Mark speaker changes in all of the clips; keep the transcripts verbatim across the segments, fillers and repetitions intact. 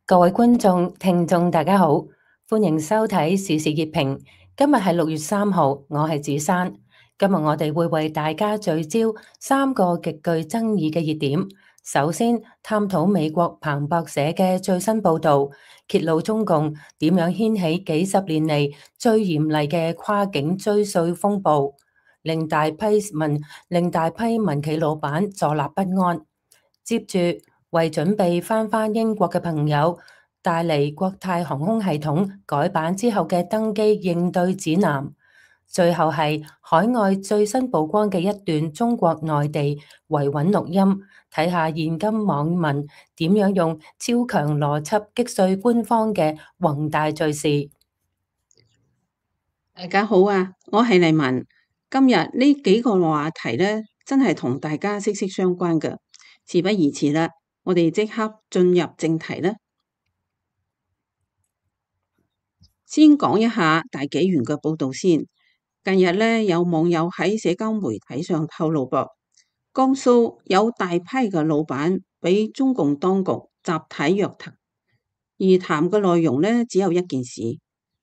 Speaker 1: 各位觀眾、聽眾，大家好，歡迎收睇時事熱評。今日係六月三號，我係子珊。今日我哋會為大家聚焦三個極具爭議嘅熱點。首先，探討美國彭博社嘅最新報導，揭露中共點樣掀起幾十年嚟最嚴厲嘅跨境追稅風暴，令大批民令大批民企老闆坐立不安。接住，為準備翻返英國嘅朋友帶嚟國泰航空系統改版之後嘅登機應對指南。最後係海外最新曝光嘅一段中國內地維穩錄音，睇下現今網民點樣用超強邏輯擊碎官方嘅宏大敘事。
Speaker 2: 大家好啊，我係黎文。今日呢幾個話題呢，真係同大家息息相關嘅。事不宜遲啦，我哋即刻進入正題啦。先講一下大紀元嘅報道先。近日呢，有網友喺社交媒體上透露噃，江蘇有大批嘅老闆俾中共當局集體約談，而談嘅內容呢，只有一件事，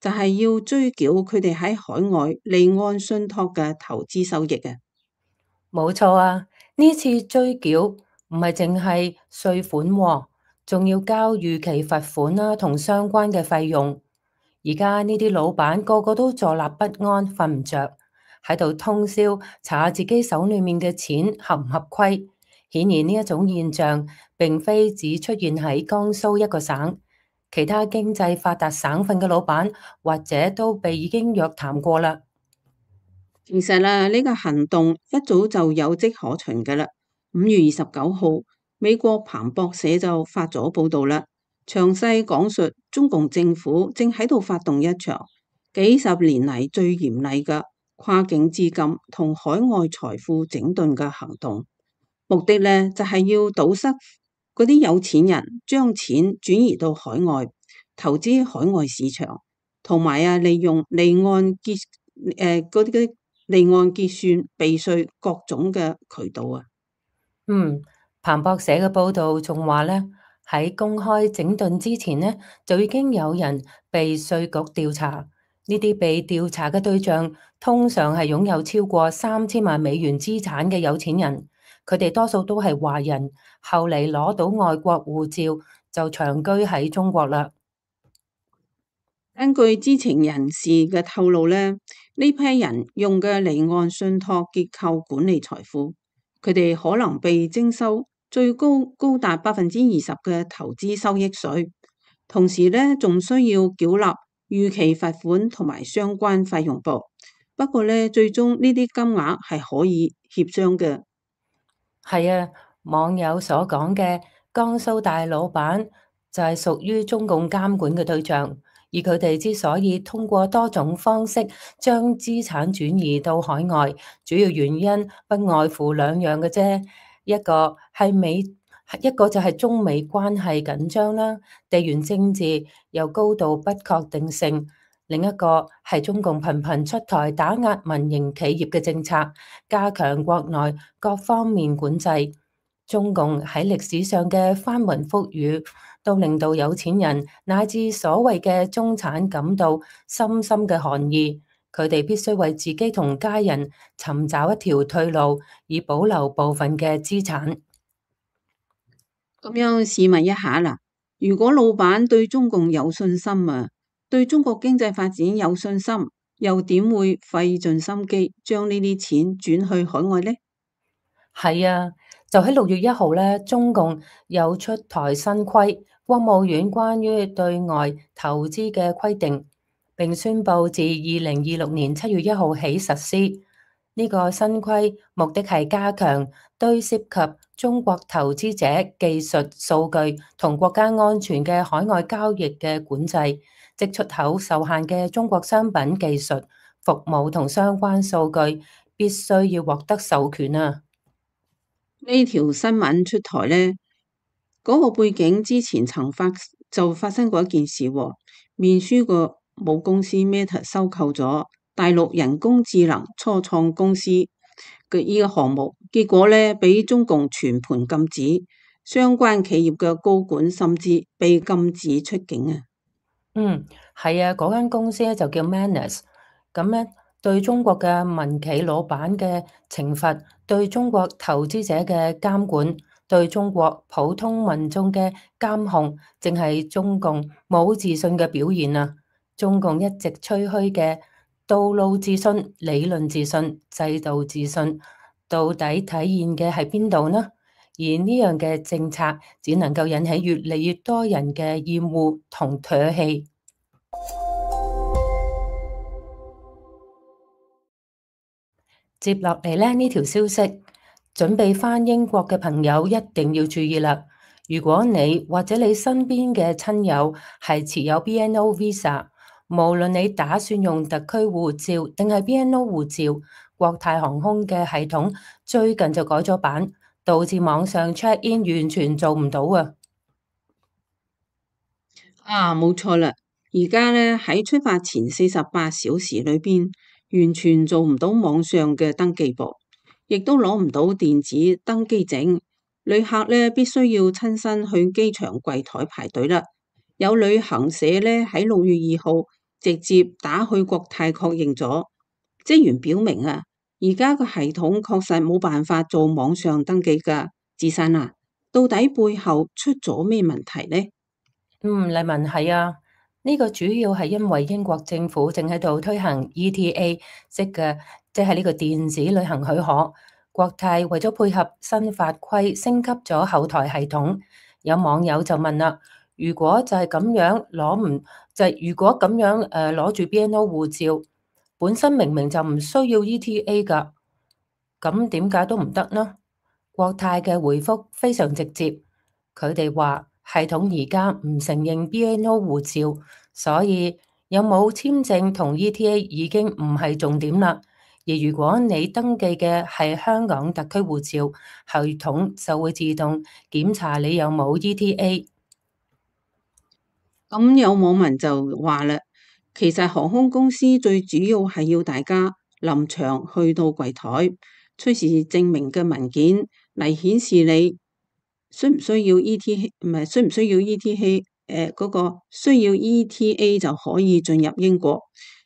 Speaker 2: 就係要追繳佢哋喺海外離岸信託嘅投資收益嘅。
Speaker 1: 冇錯啊，呢次追繳唔係淨係稅款喎，仲要交逾期罰款啦，同相關嘅費用。而家呢啲老闆個個都坐立不安，瞓唔着，喺度通宵查下自己手裏面嘅錢合唔合規。顯然呢一種現象並非只出現喺江蘇一個省，其他經濟發達省份嘅老闆或者都被已經約談過啦。
Speaker 2: 其實啦，呢個行動一早就有跡可循㗎啦。五月二十九號，美國彭博社就發咗報道啦，詳細講述中共政府正喺度發動一場幾十年嚟最嚴厲嘅跨境資金同海外財富整頓嘅行動，目的呢就係要堵塞嗰啲有錢人將錢轉移到海外投資海外市場，同埋啊利用離岸結誒嗰啲嗰啲。離岸結算、避稅各種嘅渠道啊。
Speaker 1: 嗯，彭博社嘅報道仲話咧，喺公開整頓之前呢，就已經有人被稅局調查。呢啲被調查嘅對象通常係擁有超過三千萬美元資產嘅有錢人，佢哋多數都係華人，後嚟攞到外國護照就長居喺中國啦。
Speaker 2: 根據知情人士嘅透露咧，呢批人用嘅離岸信託結構管理財富，佢哋可能被徵收最高高達百分之二十嘅投資收益稅，同時咧仲需要繳納逾期罰款同埋相關費用噃。不過咧，最終呢啲金額係可以協商嘅。
Speaker 1: 係啊，網友所講嘅江蘇大老闆就係屬於中共監管嘅對象，而佢哋之所以通過多種方式將資產轉移到海外，主要原因不外乎兩樣嘅啫，一個係美，一個就係中美關係緊張啦，地緣政治有高度不確定性。另一個係中共頻頻出台打壓民營企業嘅政策，加強國內各方面管制。中共喺歷史上嘅翻雲覆雨，都令到有錢人乃至所謂嘅中產感到深深嘅寒意。佢哋必須為自己同家人尋找一條退路，以保留部分嘅資產。
Speaker 2: 咁樣試問一下啦，如果老闆對中共有信心啊，對中國經濟發展有信心，又點會費盡心機將呢啲錢轉去海外呢？
Speaker 1: 係啊，就喺六月一號咧，中共有出台新規，國務院關於對外投資嘅規定，並宣布自二零二六年七月一號起實施。呢個新規目的係加強對涉及中國投資者技術、數據同國家安全嘅海外交易嘅管制，即出口受限嘅中國商品、技術、服務同相關數據必須要獲得授權啊！
Speaker 2: 呢條新聞出台呢，嗰、那個背景之前曾發就發生過一件事喎，面書個母公司 Meta 收購咗大陸人工智能初創公司嘅呢個項目，結果呢，俾中共全盤禁止，相關企業嘅高管甚至被禁止出境啊！
Speaker 1: 嗯，係啊，嗰間公司咧就叫 Manus，咁咧對中國嘅民企老闆嘅懲罰，對中國投資者嘅監管，對中國普通民眾嘅監控，淨係中共冇自信嘅表現啊！中共一直吹噓嘅道路自信、理論自信、制度自信，到底體現嘅係邊度呢？而呢樣嘅政策只能夠引起越嚟越多人嘅厭惡同唾棄。接落嚟咧，呢條消息，準備返英國嘅朋友一定要注意啦！如果你或者你身邊嘅親友係持有 B N O Visa，無論你打算用特區護照定係 B N O 護照，國泰航空嘅系統最近就改咗版，導致網上 check in 完全做唔到啊！
Speaker 2: 啊，冇錯啦！而家咧喺出發前四十八小時裏邊，完全做唔到網上嘅登記簿，亦都攞唔到電子登機證。旅客咧必須要親身去機場櫃台排隊啦。有旅行社咧喺六月二號直接打去國泰確認咗，職員表明啊，而家個系統確實冇辦法做網上登記噶。智生啊，到底背後出咗咩問題呢？
Speaker 1: 嗯，麗文係啊，呢個主要係因為英國政府正喺度推行 E T A，即嘅即係呢個電子旅行許可。國泰為咗配合新法規，升級咗後台系統。有網友就問啦：如果就係咁樣攞唔就係如果咁樣誒攞住 B N O 護照，本身明明就唔需要 E T A 㗎，咁點解都唔得呢？國泰嘅回覆非常直接，佢哋話系統而家唔承認 B N O 護照，所以有冇簽證同 E T A 已經唔係重點啦。而如果你登記嘅係香港特區護照，系統就會自動檢查你有冇 E T A。
Speaker 2: 咁有網民就話啦，其實航空公司最主要係要大家臨場去到櫃台出示證明嘅文件嚟顯示你需唔需要 E T A，唔係需唔需要 E T A？誒，嗰個需要 E T A 就可以進入英國。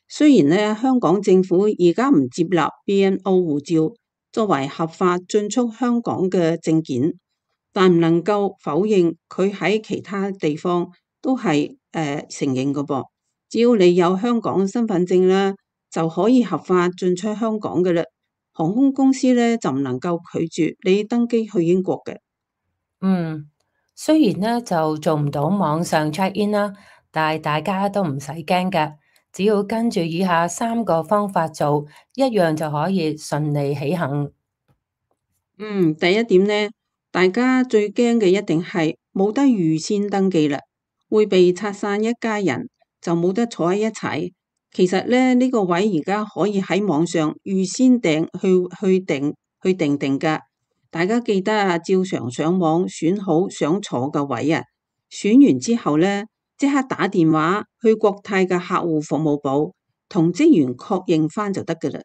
Speaker 2: 雖然咧香港政府而家唔接納 B N O 護照作為合法進出香港嘅證件，但唔能夠否認佢喺其他地方都係誒、呃、承認嘅噃。只要你有香港身份證啦，就可以合法進出香港嘅啦。航空公司咧就唔能夠拒絕你登機去英國嘅。
Speaker 1: 嗯，雖然咧就做唔到網上 check in 啦，但係大家都唔使驚㗎，只要跟住以下三個方法做，一樣就可以順利起行。
Speaker 2: 嗯，第一點呢，大家最驚嘅一定係冇得預先登記啦，會被拆散一家人，就冇得坐喺一齊。其實咧，呢個位而家可以喺網上預先訂去去訂去訂定噶。大家記得啊，照常上網選好想坐嘅位啊，選完之後咧，即刻打電話去國泰嘅客戶服務部，同職員確認翻就得噶啦。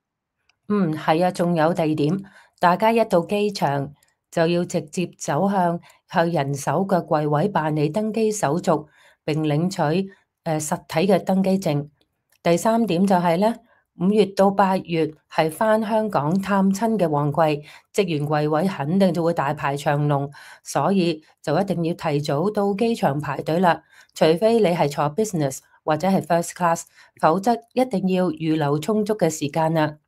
Speaker 1: 嗯，係啊，仲有第二點，大家一到機場就要直接走向向人手嘅櫃位辦理登機手續，並領取誒、呃、實體嘅登機證。第三點就係咧，五月到八月係返香港探親嘅旺季，職員櫃位肯定就會大排長龍，所以就一定要提早到機場排隊啦。除非你係坐 business 或者係 first class，否則一定要預留充足嘅時間啦。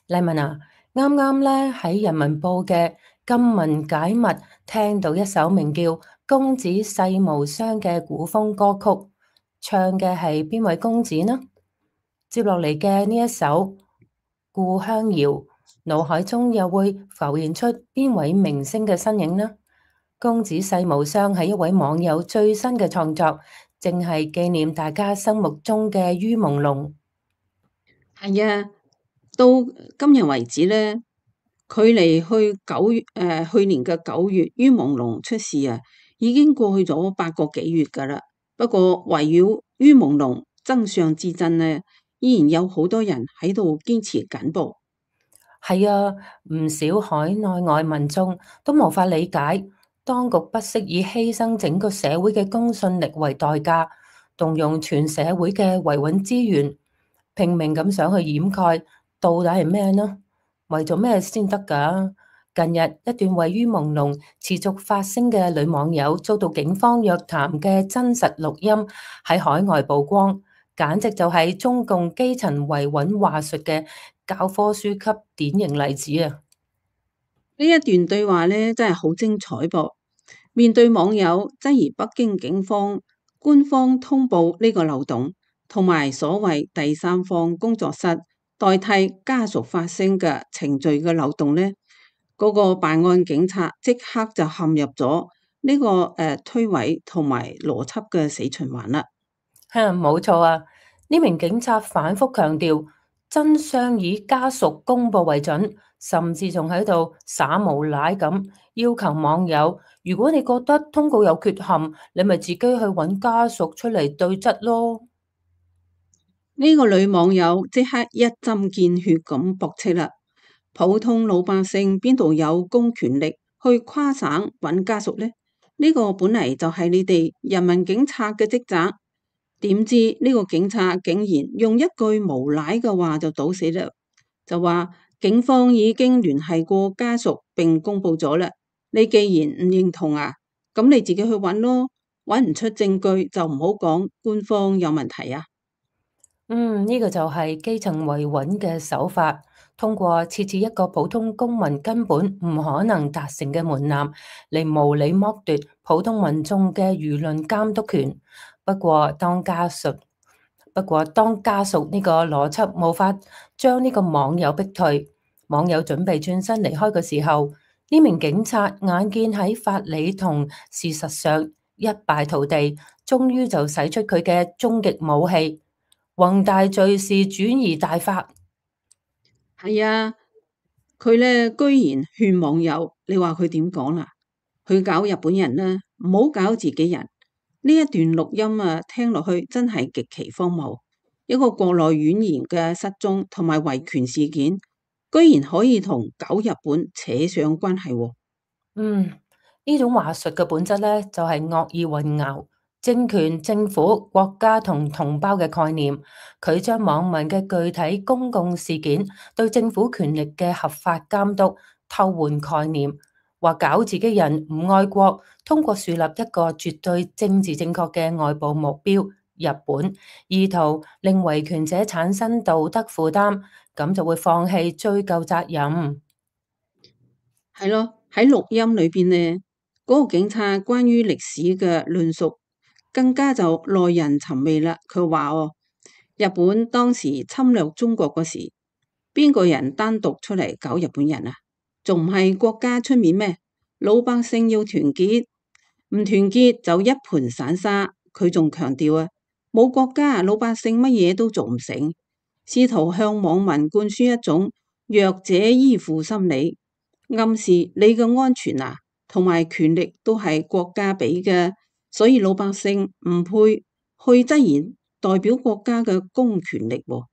Speaker 1: 麗文啊，啱啱咧喺人民報嘅金文解密聽到一首名叫《公子世無雙》嘅古風歌曲，唱嘅係邊位公子呢？接落嚟嘅呢一首《故鄉謠》，腦海中又會浮現出邊位明星嘅身影呢？公子世無雙係一位網友最新嘅創作，正係紀念大家心目中嘅于朦朧。
Speaker 2: 係啊。到今日為止咧，距離去九月誒、呃、去年嘅九月于朦朧出事啊，已經過去咗八個幾月噶啦。不過圍繞于朦朧真相之爭咧，依然有好多人喺度堅持緊噃。
Speaker 1: 係啊，唔少海內外民眾都無法理解，當局不惜以犧牲整個社會嘅公信力為代價，動用全社會嘅維穩資源，拼命咁想去掩蓋，到底係咩呢？為咗咩先得㗎？近日一段位於朦朧、持續發聲嘅女網友遭到警方約談嘅真實錄音喺海外曝光，簡直就係中共基層維穩話術嘅教科書級典型例子啊！
Speaker 2: 呢一段對話呢，真係好精彩噃。面對網友質疑北京警方官方通報呢個漏洞，同埋所謂第三方工作室代替家屬發聲嘅程序嘅漏洞呢，嗰、個辦案警察即刻就陷入咗呢、個誒、呃、推諉同埋邏輯嘅死循環啦。
Speaker 1: 哼，冇錯啊！呢名警察反覆強調真相以家屬公佈為準，甚至仲喺度耍無賴咁要求網友，如果你覺得通告有缺陷，你咪自己去揾家屬出嚟對質咯。
Speaker 2: 呢個女網友即刻一針見血咁駁斥啦。普通老百姓邊度有公權力去跨省揾家屬呢？呢、個本嚟就係你哋人民警察嘅職責。點知呢個警察竟然用一句無賴嘅話就堵死啦，就話警方已經聯繫過家屬並公佈咗啦。你既然唔認同啊，咁你自己去揾咯，揾唔出證據就唔好講官方有問題啊。
Speaker 1: 嗯，呢個就係基層維穩嘅手法，通過設置一個普通公民根本唔可能達成嘅門檻，嚟無理剝奪普通民眾嘅輿論監督權。不過當家屬，不過當家屬呢個邏輯無法將呢個網友逼退，網友準備轉身離開嘅時候，呢名警察眼見喺法理同事實上一敗塗地，終於就使出佢嘅終極武器。宏大敘事轉移大法。
Speaker 2: 係啊，佢咧居然勸網友，你話佢點講啦？去搞日本人啦，唔好搞自己人。呢一段錄音啊，聽落去真係極其荒謬。一個國內語言嘅失蹤同埋維權事件，居然可以同搞日本扯上關係喎。
Speaker 1: 嗯，呢種話術嘅本質咧，就係惡意混淆政權、政府、國家同同胞嘅概念。佢將網民嘅具體公共事件對政府權力嘅合法監督偷換概念，話搞自己人唔愛國，通過樹立一個絕對政治正確嘅外部目標日本，意圖令維權者產生道德負擔，咁就會放棄追究責任。
Speaker 2: 係咯，喺錄音裏邊呢，嗰、個警察關於歷史嘅論述更加就耐人尋味啦。佢話哦，日本當時侵略中國嗰時，邊個人單獨出嚟搞日本人啊？仲唔係國家出面咩？老百姓要團結，唔團結就一盤散沙。佢仲強調啊，冇國家，老百姓乜嘢都做唔成，試圖向網民灌輸一種弱者依附心理。暗示你嘅安全啊，同埋權力都係國家俾嘅，所以老百姓唔配去質疑代表國家嘅公權力喎。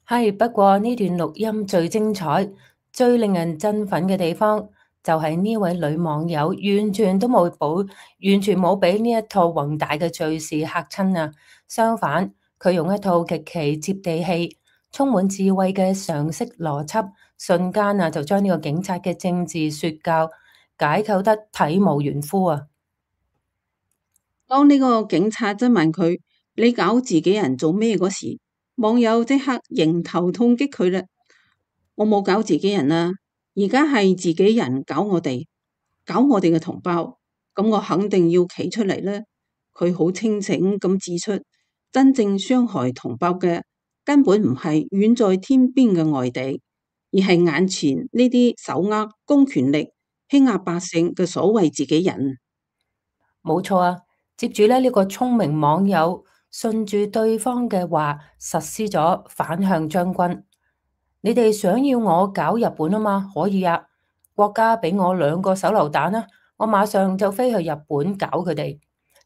Speaker 1: 係，不過呢段錄音最精彩、最令人振奮嘅地方，就係呢位女網友完全都冇保，完全冇俾呢一套宏大嘅敘事嚇親啊！相反，佢用一套極其接地氣、充滿智慧嘅常識邏輯，瞬間啊就將呢個警察嘅政治說教解構得體無完膚啊！
Speaker 2: 當呢個警察質問佢，你搞自己人做咩嗰時，網友即刻迎頭痛擊佢啦。我冇搞自己人啊，而家係自己人搞我哋，搞我哋嘅同胞，咁我肯定要企出嚟啦。佢好清醒咁指出，真正傷害同胞嘅根本唔係遠在天邊嘅外敵，而係眼前呢啲手握公權力、欺壓百姓嘅所謂自己人。
Speaker 1: 冇錯啊！接住咧，呢個聰明網友順住對方嘅話實施咗反向將軍。你哋想要我搞日本啊嘛？可以啊！國家俾我兩個手榴彈啦，我馬上就飛去日本搞佢哋。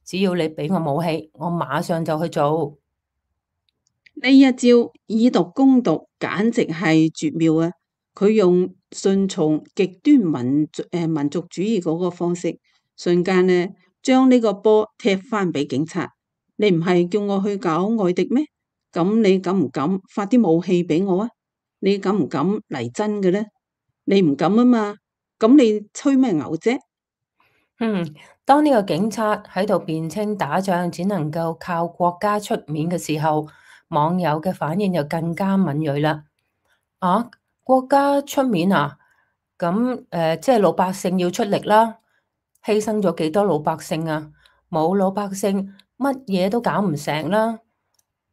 Speaker 1: 只要你俾我武器，我馬上就去做。
Speaker 2: 呢一招以毒攻毒，簡直係絕妙啊！佢用順從極端民族誒、呃、民族主義嗰個方式，瞬間呢將呢個波踢翻俾警察。你唔係叫我去搞外敵咩？咁你敢唔敢發啲武器俾我啊？你敢唔敢嚟真嘅呢？你唔敢啊嘛？咁你吹咩牛啫？
Speaker 1: 嗯，當呢個警察喺度辯稱打仗只能夠靠國家出面嘅時候，網友嘅反應就更加敏銳啦。啊，國家出面啊？咁誒、呃，即係老百姓要出力啦，犧牲咗幾多老百姓啊？冇老百姓，乜嘢都搞唔成啦。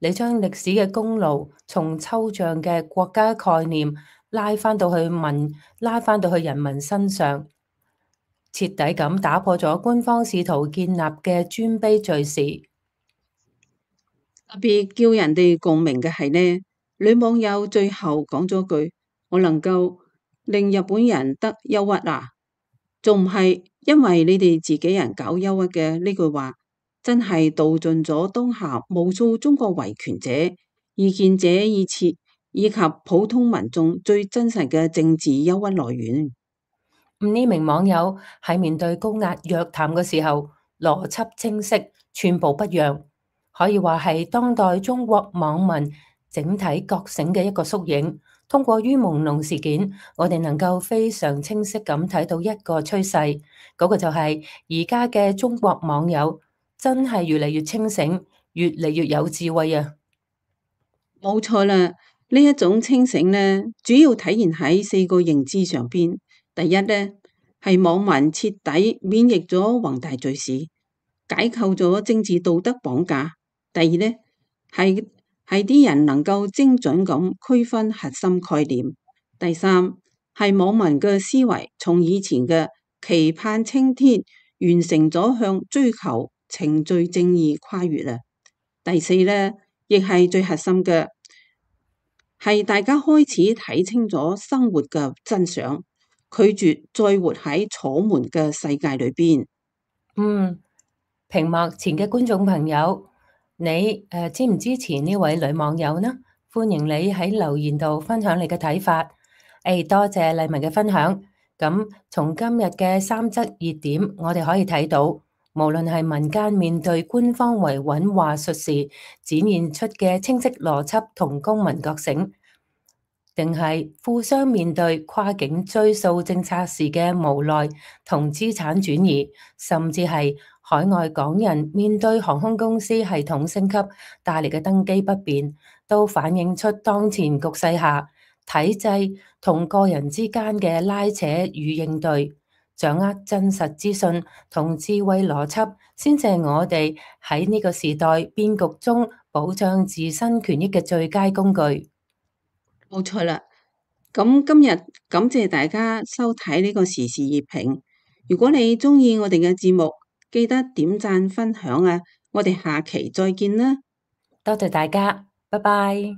Speaker 1: 你將歷史嘅功勞從抽象嘅國家概念拉翻到去民，拉翻到去人民身上。徹底咁打破咗官方試圖建立嘅尊卑敘事。
Speaker 2: 特別叫人哋共鳴嘅係呢，女網友最後講咗句：我能夠令日本人得憂鬱啊，仲唔係因為你哋自己人搞憂鬱嘅呢句話，真係道盡咗當下無數中國維權者、異見者以及以及普通民眾最真實嘅政治憂鬱來源。
Speaker 1: 呢名網友喺面對高壓約談嘅時候，邏輯清晰，寸步不讓，可以話係當代中國網民整體覺醒嘅一個縮影。通過于朦朧事件，我哋能夠非常清晰咁睇到一個趨勢，嗰個就係而家嘅中國網友真係越嚟越清醒，越嚟越有智慧啊！
Speaker 2: 冇錯啦，呢一種清醒呢，主要體現喺四個認知上邊。第一呢，係網民徹底免疫咗宏大敘事，解構咗政治道德綁架。第二呢，係係啲人能夠精準咁區分核心概念。第三，係網民嘅思維從以前嘅期盼青天，完成咗向追求程序正義跨越啦。第四呢，亦係最核心嘅，係大家開始睇清咗生活嘅真相，拒絕再活喺楚門嘅世界裏邊。
Speaker 1: 嗯，屏幕前嘅觀眾朋友，你誒、呃、支唔支持呢位女網友呢？歡迎你喺留言度分享你嘅睇法。誒、哎，多謝麗文嘅分享。咁從今日嘅三則熱點，我哋可以睇到，無論係民間面對官方維穩話術時展現出嘅清晰邏輯同公民覺醒，定係富商面對跨境追溯政策時嘅無奈同資產轉移，甚至係海外港人面對航空公司系統升級帶嚟嘅登機不便，都反映出當前局勢下體制同個人之間嘅拉扯與應對，掌握真實資訊同智慧邏輯，先至係我哋喺呢個時代變局中保障自身權益嘅最佳工具。
Speaker 2: 冇錯啦，咁今日感謝大家收睇呢個時事熱評。如果你中意我哋嘅節目，記得點讚分享啊！我哋下期再見啦。
Speaker 1: 多謝大家，拜拜。